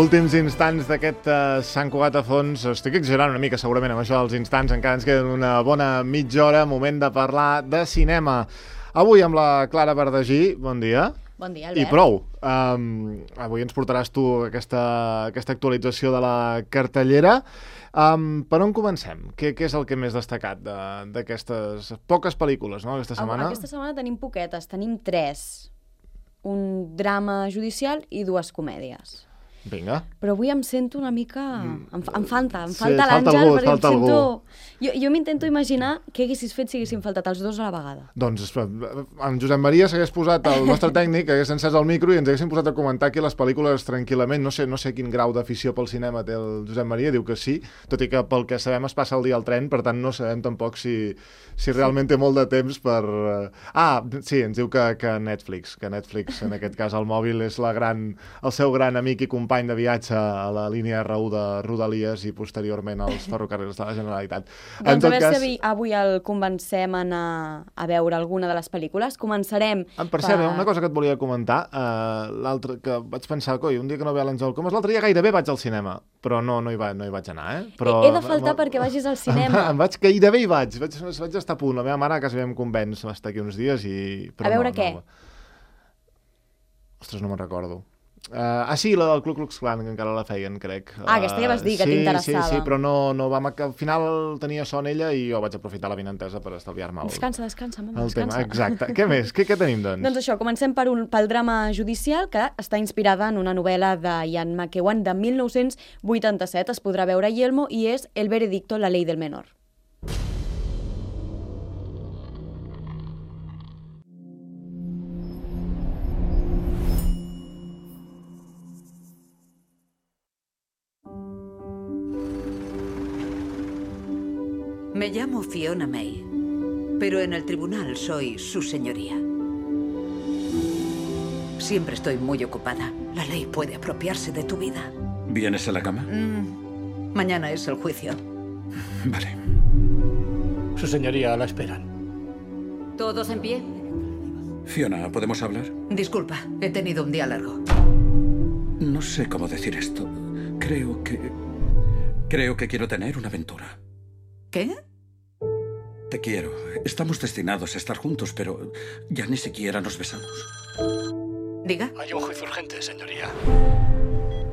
Últims instants d'aquest Sant Cugat a fons. Estic exagerant una mica, segurament, amb això dels instants. Encara ens queden una bona mitja hora, moment de parlar de cinema. Avui amb la Clara Verdagí. Bon dia. Bon dia, Albert. I prou. Avui ens portaràs tu aquesta actualització de la cartellera. Per on comencem? Què és el que més destacat d'aquestes poques pel·lícules, no, aquesta setmana? Aquesta setmana tenim poquetes, tenim 3. Un drama judicial i 2 comèdies. Vinga. Però avui em sento una mica... Em falta Sí, l'Àngel, perquè falta em sento... algú. Jo m'intento imaginar què haguessis fet si haguessin faltat els 2 a la vegada. Doncs en Josep Maria s'hagués posat, el nostre tècnic, hagués encès el micro i ens haguessin posat a comentar aquí les pel·lícules tranquil·lament. No sé quin grau d'afició pel cinema té el Josep Maria, diu que sí, tot i que pel que sabem es passa el dia al tren, per tant no sabem tampoc si realment té molt de temps per... Sí, ens diu que Netflix en aquest cas el mòbil és el seu gran amic i company de viatge a la línia R1 de Rodalies i posteriorment als ferrocarrils de la Generalitat. Doncs a veure si avui el convencem a anar a veure alguna de les pel·lícules. Començarem... Per cert, una cosa que et volia comentar, l'altre que vaig pensar, un dia que no ve l'Àngel Comas, l'altre dia gairebé vaig al cinema, però no hi vaig anar, Però he de faltar perquè vagis al cinema. Gairebé hi vaig estar a punt. La meva mare a casa em convenç estar aquí uns dies i... A veure què? Ostres, no me'n recordo. Sí, la del Ku Klux Klan, que encara la feien, crec. Aquesta ja vas dir, que t'interessava. Sí, però no vam... Al final tenia son ella i jo vaig aprofitar la vinentesa per estalviar-me Descansa, mama, tema. Exacte. Què més? Què tenim, doncs? Doncs això, comencem pel drama judicial, que està inspirada en una novel·la de Ian McEwan de 1987. Es podrà veure a Yelmo i és El veredicto, la ley del menor. Me llamo Fiona May, pero en el tribunal soy su señoría. Siempre estoy muy ocupada. La ley puede apropiarse de tu vida. ¿Vienes a la cama? Mañana es el juicio. Vale. Su señoría la esperan. ¿Todos en pie? Fiona, ¿podemos hablar? Disculpa, he tenido un día largo. No sé cómo decir esto. Creo que quiero tener una aventura. ¿Qué? Te quiero. Estamos destinados a estar juntos, pero ya ni siquiera nos besamos. Diga. Hay un juicio urgente, señoría.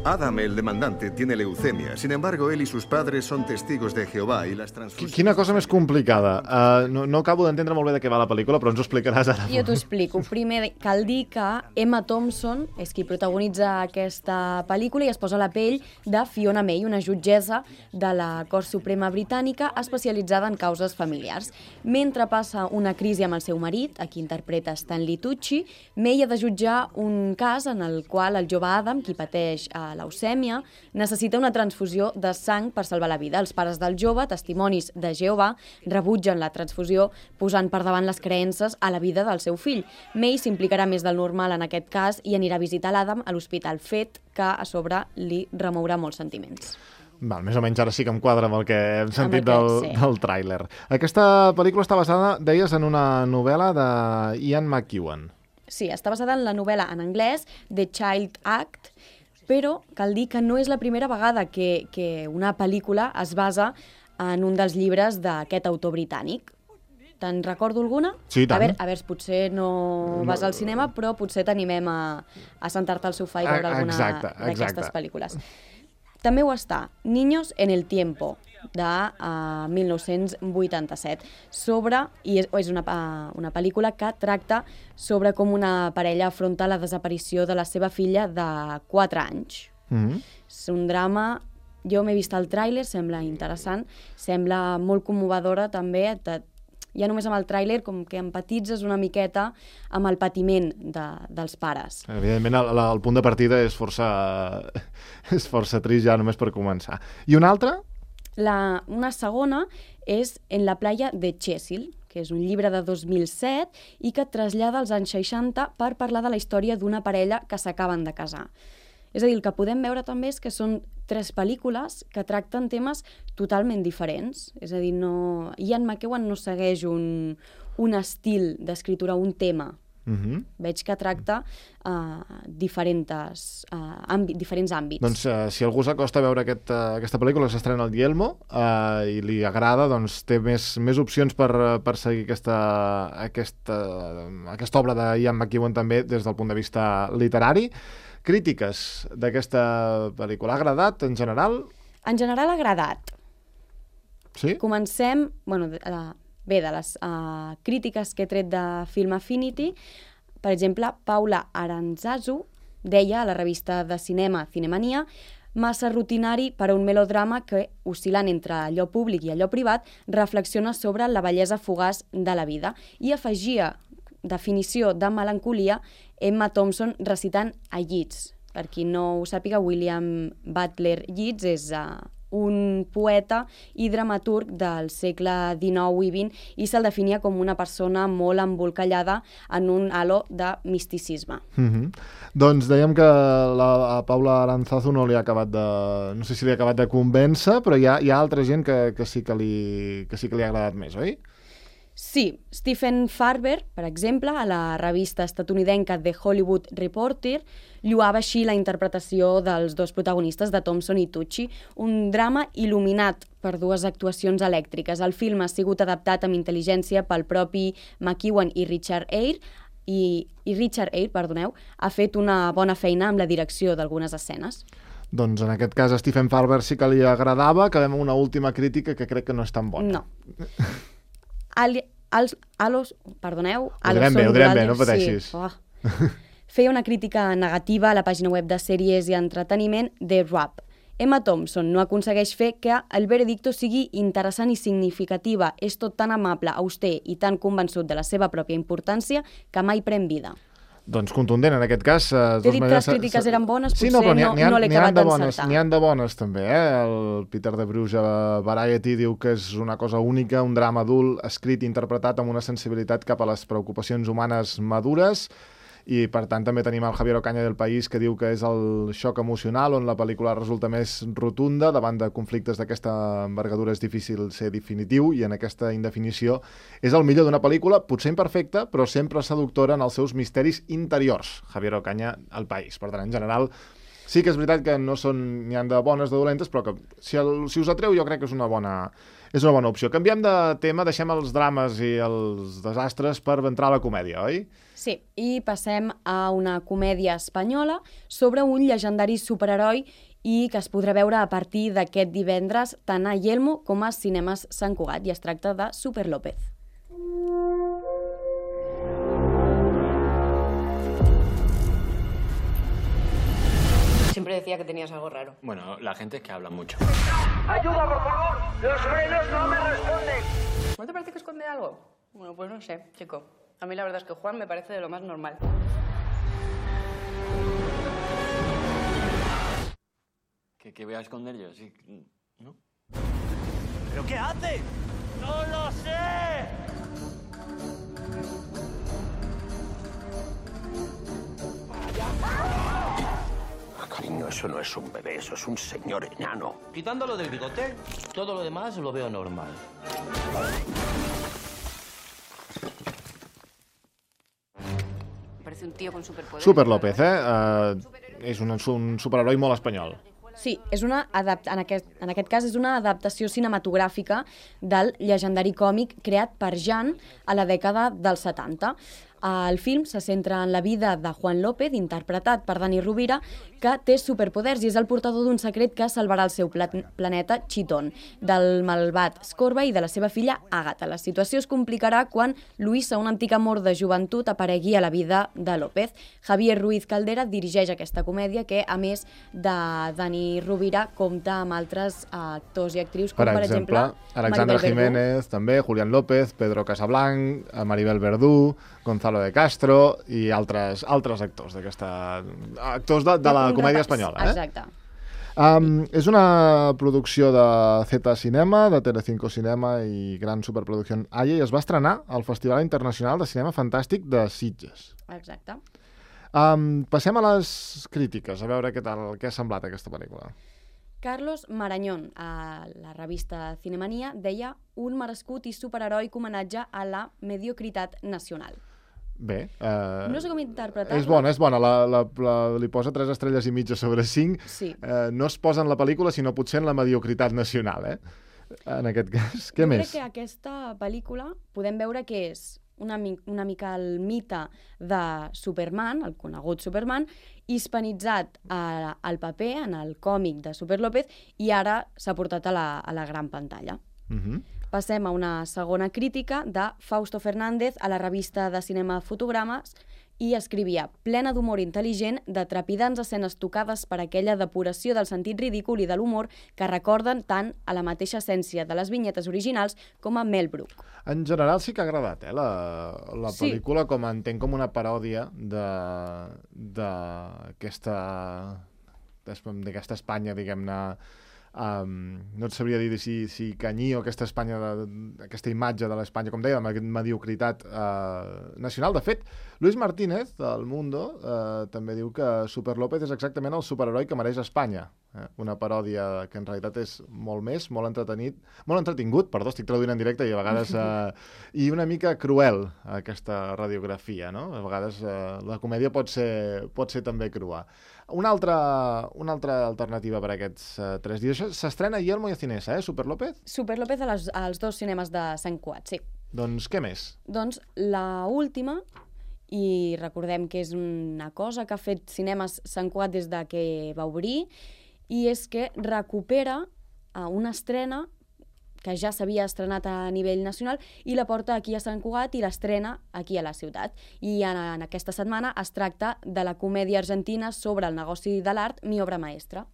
Adam, el demandante, tiene leucemia. Sin embargo, él y sus padres son testigos de Jehová i les transfusions... Quina cosa més complicada. No acabo d'entendre molt bé de què va la pel·lícula, però ens ho explicaràs ara. Jo t'ho explico. Primer, cal dir que Emma Thompson és qui protagonitza aquesta pel·lícula i es posa a la pell de Fiona May, una jutgessa de la Cort Suprema Britànica especialitzada en causes familiars. Mentre passa una crisi amb el seu marit, a qui interpreta Stanley Tucci, May ha de jutjar un cas en el qual el jove Adam, qui pateix leucèmia, necessita una transfusió de sang per salvar la vida. Els pares del jove, testimonis de Jehovà, rebutgen la transfusió posant per davant les creences a la vida del seu fill. May s'implicarà més del normal en aquest cas i anirà a visitar l'Adam a l'hospital, fet que a sobre li remourà molts sentiments. Més o menys ara sí que em quadra amb el que hem sentit del tràiler. Aquesta pel·lícula està basada, deies, en una novel·la de Ian McEwan. Sí, està basada en la novel·la en anglès The Child Act, però cal dir que no és la primera vegada que una pel·lícula es basa en un dels llibres d'aquest autor britànic. Te'n recordo alguna? Sí, tant. A veure, potser no vas al cinema, però potser t'animem a sentar-te al sofà i veure alguna d'aquestes pel·lícules. També ho està Niños en el tiempo, de 1987, i és una pel·lícula que tracta sobre com una parella afronta la desaparició de la seva filla de 4 anys. És un drama, jo m'he vist el tràiler, sembla interessant, sembla molt commovedora també, ja només amb el tràiler com que empatitzes una miqueta amb el patiment dels pares. Evidentment, el punt de partida és força trist ja només per començar. I una altra? Una segona és En la playa de Chesil, que és un llibre de 2007 i que trasllada als anys 60 per parlar de la història d'una parella que s'acaben de casar. És a dir, el que podem veure també és que són 3 pel·lícules que tracten temes totalment diferents. És a dir, Ian McEwan no segueix un estil d'escriptura, un tema Veig que tracta diferents àmbits. Doncs si algú s'acosta a veure aquesta pel·lícula que s'estrena al Yelmo i li agrada, doncs té més opcions per seguir aquesta obra de Ian McEwan també des del punt de vista literari. Crítiques d'aquesta pel·lícula. Ha agradat en general? En general ha agradat. Sí? Comencem, bé, de les crítiques que he tret de Film Affinity. Per exemple, Paula Aranzazu deia a la revista de cinema Cinemania: massa rutinari per a un melodrama que, oscil·lant entre allò públic i allò privat, reflexiona sobre la bellesa fugaç de la vida. I afegia, definició de melancolia, Emma Thompson recitant a Yeats. Per qui no ho sàpiga, William Butler Yeats és un poeta i dramaturg del segle XIX i XX i se'l definia com una persona molt embolcallada en un halo de misticisme. Doncs dèiem que a Paula Aranzazu no li ha acabat no sé si li ha acabat de convèncer, però hi ha altra gent que sí que li ha agradat més, oi? Sí, Stephen Farber, per exemple, a la revista estatunidenca The Hollywood Reporter, lloava així la interpretació dels dos protagonistes, de Thompson i Tucci, un drama il·luminat per dues actuacions elèctriques. El film ha sigut adaptat amb intel·ligència pel propi McEwan i Richard Eyre, i Richard Eyre, ha fet una bona feina amb la direcció d'algunes escenes. Doncs en aquest cas a Stephen Farber sí que li agradava. Acabem amb una última crítica que crec que no és tan bona. No. Ho direm bé, no pateixis. Sí. Feia una crítica negativa a la pàgina web de sèries i entreteniment The Wrap. Emma Thompson no aconsegueix fer que el veredicto sigui interessant i significativa. És tot tan amable, auster i tan convençut de la seva pròpia importància que mai pren vida. Doncs contundent, en aquest cas. T'he dit que les crítiques eren bones, potser no l'he acabat d'encertar. N'hi han de bones, també. El Peter de Bruges a Variety diu que és una cosa única, un drama adult, escrit i interpretat amb una sensibilitat cap a les preocupacions humanes madures, i per tant també tenim el Javier Ocaña del País, que diu que és el xoc emocional on la pel·lícula resulta més rotunda. Davant de conflictes d'aquesta envergadura és difícil ser definitiu, i en aquesta indefinició és el millor d'una pel·lícula, potser imperfecta, però sempre seductora en els seus misteris interiors. Javier Ocaña al País. Per tant, en general, sí que és veritat que n'hi ha de bones, de dolentes, però que si us atreu jo crec que és una bona opció. Canviem de tema, deixem els drames i els desastres per entrar a la comèdia, oi? Sí, i passem a una comèdia espanyola sobre un llegendari superheroi i que es podrà veure a partir d'aquest divendres tant a Yelmo com a Cinemes Sant Cugat, i es tracta de Super López. Siempre decía que tenías algo raro. Bueno, la gente es que habla mucho. ¡Ayuda, por favor! ¡Los frenos no me responden! ¿No te parece que esconde algo? Bueno, pues no sé, chico. A mí la verdad es que Juan me parece de lo más normal. ¿Qué voy a esconder yo? Sí, ¿no? ¿Pero qué hace? ¡No lo sé! Cariño, eso no es un bebé, eso es un señor enano. Quitándolo del bigote, todo lo demás lo veo normal. Parece un tío con superpoderes. Super López, és un superheroi molt espanyol. Sí, en aquest cas és una adaptació cinematogràfica del llegendari còmic creat per Jan a la dècada dels 70. El film se centra en la vida de Juan López, interpretat per Dani Rovira, que té superpoders i és el portador d'un secret que salvarà el seu planeta Chitón, del malvat Scorba i de la seva filla Àgata. La situació es complicarà quan Luisa, un antic amor de joventut, aparegui a la vida de López. Javier Ruiz Caldera dirigeix aquesta comèdia que, a més de Dani Rovira, compta amb altres actors i actrius, com per exemple Alexandra Jiménez, també, Julián López, Pedro Casablanc, Maribel Verdú, Gonzalo de Castro i altres actors actors de la comèdia espanyola. Exacte. És una producció de Z Cinema, de Telecinco Cinema i gran superproducció AIE, i es va estrenar al Festival Internacional de Cinema Fantàstic de Sitges. Exacte. Passem a les crítiques, a veure què ha semblat aquesta pel·lícula. Carlos Marañón, a la revista Cinemania, deia un merescut i superheroi homenatge a la mediocritat nacional. Bé. No sé com interpretar-la. És bona. Li posa 3 estrelles i mitja sobre 5. Sí. No es posa en la pel·lícula, sinó potser en la mediocritat nacional, en aquest cas. Què més? Jo crec que aquesta pel·lícula podem veure que és una mica el mite de Superman, el conegut Superman, hispanitzat al paper, en el còmic de Super López, i ara s'ha portat a la gran pantalla. Passem a una segona crítica de Fausto Fernández a la revista de cinema Fotogrames, i escrivia: plena d'humor intel·ligent, de trepidants escenes tocades per aquella depuració del sentit ridícul i de l'humor que recorden tant a la mateixa essència de les vinyetes originals com a Mel Brooks. En general sí que ha agradat, la pel·lícula, com entenc com una paròdia d'aquesta Espanya, diguem-ne, no et sabria dir si Canyí o aquesta Espanya, aquesta imatge de l'Espanya, com deia, amb aquesta mediocritat nacional. De fet, Luis Martínez, del Mundo, també diu que Super López és exactament el superheroi que mereix Espanya. Una paròdia que en realitat és molt més, molt entretingut, estic traduint en directe, i a vegades i una mica cruel, aquesta radiografia, no? A vegades la comèdia pot ser també crua. Una altra alternativa per aquests 3 dies. S'estrena ahir al Moya Cinesa, Super López? Super López als 2 cinemes de Sant Cugat, sí. Doncs què més? Doncs la última, i recordem que és una cosa que ha fet Cinemes Sant Cugat des de que va obrir, i és que recupera una estrena que ja s'havia estrenat a nivell nacional i la porta aquí a Sant Cugat i l'estrena aquí a la ciutat. I en aquesta setmana es tracta de la comèdia argentina sobre el negoci de l'art, Mi obra maestra.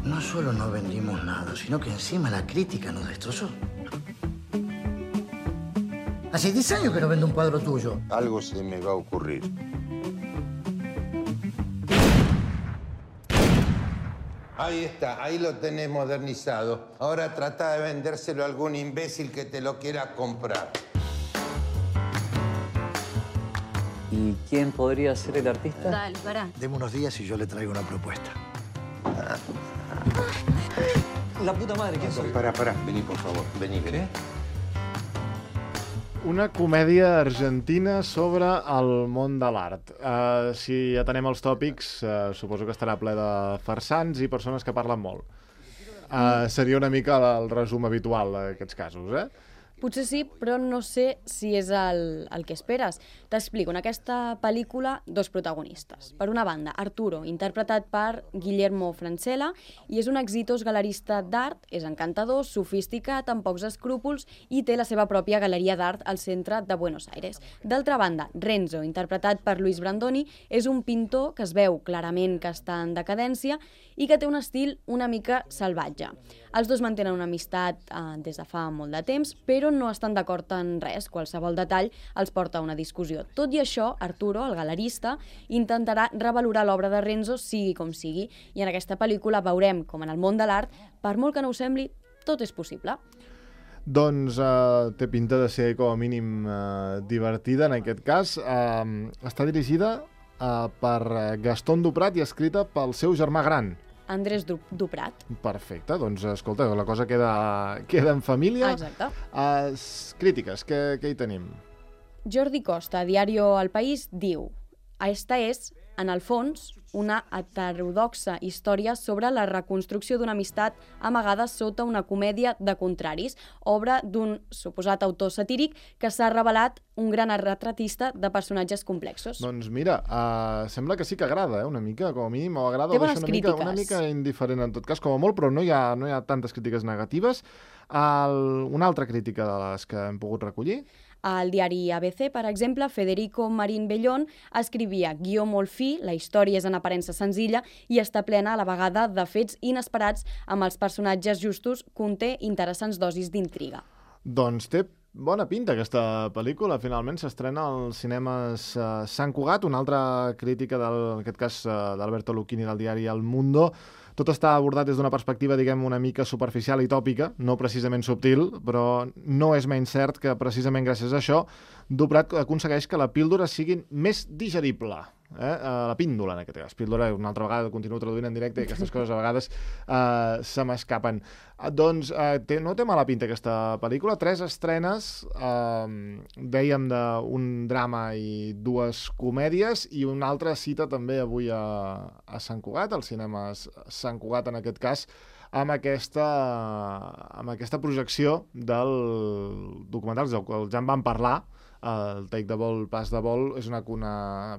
No solo no vendimos nada, sino que encima la crítica nos destrozó. Hace 10 años que no vendo un cuadro tuyo. Algo se me va a ocurrir. Ahí está, ahí lo tenés modernizado. Ahora trata de vendérselo a algún imbécil que te lo quiera comprar. ¿Y quién podría ser el artista? Dale, pará. Deme unos días y yo le traigo una propuesta. La puta madre, ¿quién soy? Pará, vení, por favor. Vení. Una comèdia argentina sobre el món de l'art. Si atenem els tòpics, suposo que estarà ple de farsants i persones que parlen molt. Seria una mica el resum habitual d'aquests casos, Potser sí, però no sé si és el que esperes. T'explico, en aquesta pel·lícula, 2 protagonistes. Per una banda, Arturo, interpretat per Guillermo Francella, i és un exitós galerista d'art, és encantador, sofisticat, amb pocs escrúpols, i té la seva pròpia galeria d'art al centre de Buenos Aires. D'altra banda, Renzo, interpretat per Luis Brandoni, és un pintor que es veu clarament que està en decadència i que té un estil una mica salvatge. Els 2 mantenen una amistat des de fa molt de temps, però no estan d'acord en res. Qualsevol detall els porta a una discussió. Tot i això, Arturo, el galerista, intentarà revalorar l'obra de Renzo sigui com sigui, i en aquesta pel·lícula veurem com en el món de l'art, per molt que no ho sembli, tot és possible. Doncs té pinta de ser com a mínim divertida en aquest cas. Està dirigida per Gastón Duprat i escrita pel seu germà gran, Andrés Duprat. Perfecte, doncs escolta, la cosa queda en família. Exacte. Crítiques, què hi tenim? Jordi Costa, a Diario El País, diu: esta és, en el fons, una heterodoxa història sobre la reconstrucció d'una amistat amagada sota una comèdia de contraris, obra d'un suposat autor satíric que s'ha revelat un gran retratista de personatges complexos. Doncs mira, sembla que sí que agrada, una mica, com a mínim, o agrada, té bones crítiques. Una mica indiferent en tot cas, com a molt, però no hi ha tantes crítiques negatives. Una altra crítica de les que hem pogut recollir? Al diari ABC, per exemple, Federico Marín Bellón escrivia: guió molt fi, la història és en aparença senzilla i està plena a la vegada de fets inesperats amb els personatges justos, conté interessants dosis d'intriga. Doncs té bona pinta aquesta pel·lícula. Finalment s'estrena als cinemes Sant Cugat. Una altra crítica, en aquest cas d'Alberto Lucchini del diari El Mundo. Tot està abordat des d'una perspectiva, diguem, una mica superficial i tòpica, no precisament subtil, però no és menys cert que precisament gràcies a això Duprat aconsegueix que la píldora sigui més digerible. la píndola, en aquest cas. Píndola, una altra vegada, continuo traduint en directe i aquestes coses a vegades se m'escapen. Doncs no té mala pinta aquesta pel·lícula. 3 estrenes, dèiem d'un drama i 2 comèdies, i una altra cita també avui a Sant Cugat, al cinema Sant Cugat en aquest cas, amb aquesta projecció del documental del qual ja en vam parlar, el Take the Ball, Pass the Ball. És una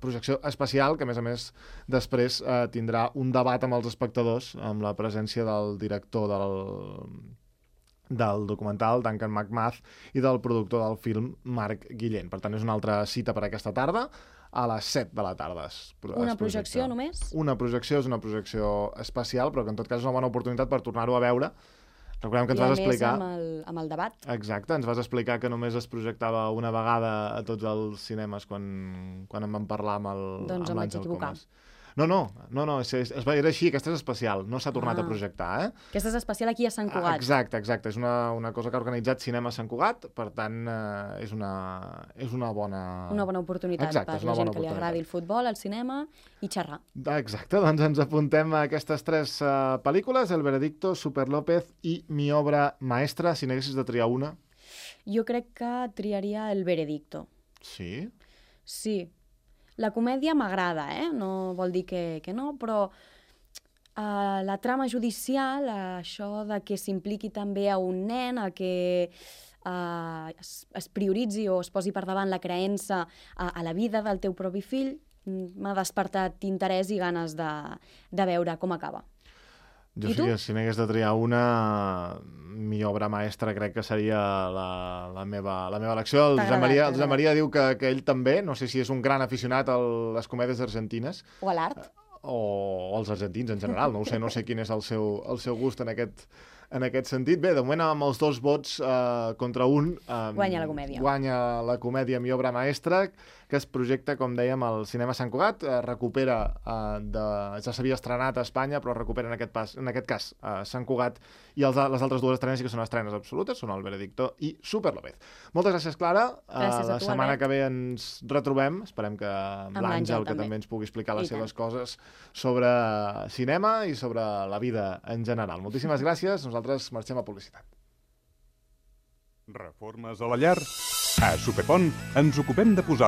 projecció especial que, a més, després tindrà un debat amb els espectadors, amb la presència del director del documental, Duncan McMath, i del productor del film, Marc Guillén. Per tant, és una altra cita per aquesta tarda, a les 7 de la tarda. Una projecció només? Una projecció, és una projecció especial, però que en tot cas és una bona oportunitat per tornar-ho a veure. Recordem que ens vas explicar... I a més amb el debat. Exacte, ens vas explicar que només es projectava una vegada a tots els cinemes quan en vam parlar amb l'Àngel Comas. Doncs em vaig equivocar. No, era així, aquesta és especial, no s'ha tornat a projectar, Aquesta és especial aquí a Sant Cugat. Exacte, és una cosa que ha organitzat Cinema Sant Cugat, per tant, és una bona... Una bona oportunitat per la gent que li agradi el futbol, el cinema i xerrar. Exacte, doncs ens apuntem a aquestes 3 pel·lícules, El Veredicto, Super López i Mi obra maestra. Si n'haguessis de triar una? Jo crec que triaria El Veredicto. Sí? Sí. La comèdia m'agrada, no vol dir que no, però la trama judicial, això de que s'impliqui també a un nen, a que es prioritzi o es posi per davant la creença a la vida del teu propi fill, m'ha despertat interès i ganes de veure com acaba. Jo sí que si n'hagués de triar una, Mi obra maestra crec que seria la meva elecció. El Josep Maria diu que ell també, no sé si és un gran aficionat a les comèdies argentines. O a l'art. O als argentins en general, no sé quin és el seu gust en aquest sentit. Bé, de moment amb els 2 vots contra un... Guanya la comèdia. Guanya la comèdia Mi obra maestra, que es projecta, com dèiem, al Cinema Sant Cugat. Recupera, ja s'havia estrenat a Espanya, però recupera en aquest cas Sant Cugat, i les altres 2 estrenes sí que són estrenes absolutes, són El Veredicto i Super López. Moltes gràcies, Clara. Gràcies a tu, la setmana que ve ens retrobem. Esperem que amb l'Àngel, que també ens pugui explicar les seves coses sobre cinema i sobre la vida en general. Moltíssimes gràcies. Nosaltres marxem a publicitat. Reformes a la llar? A Superpont ens ocupem de posar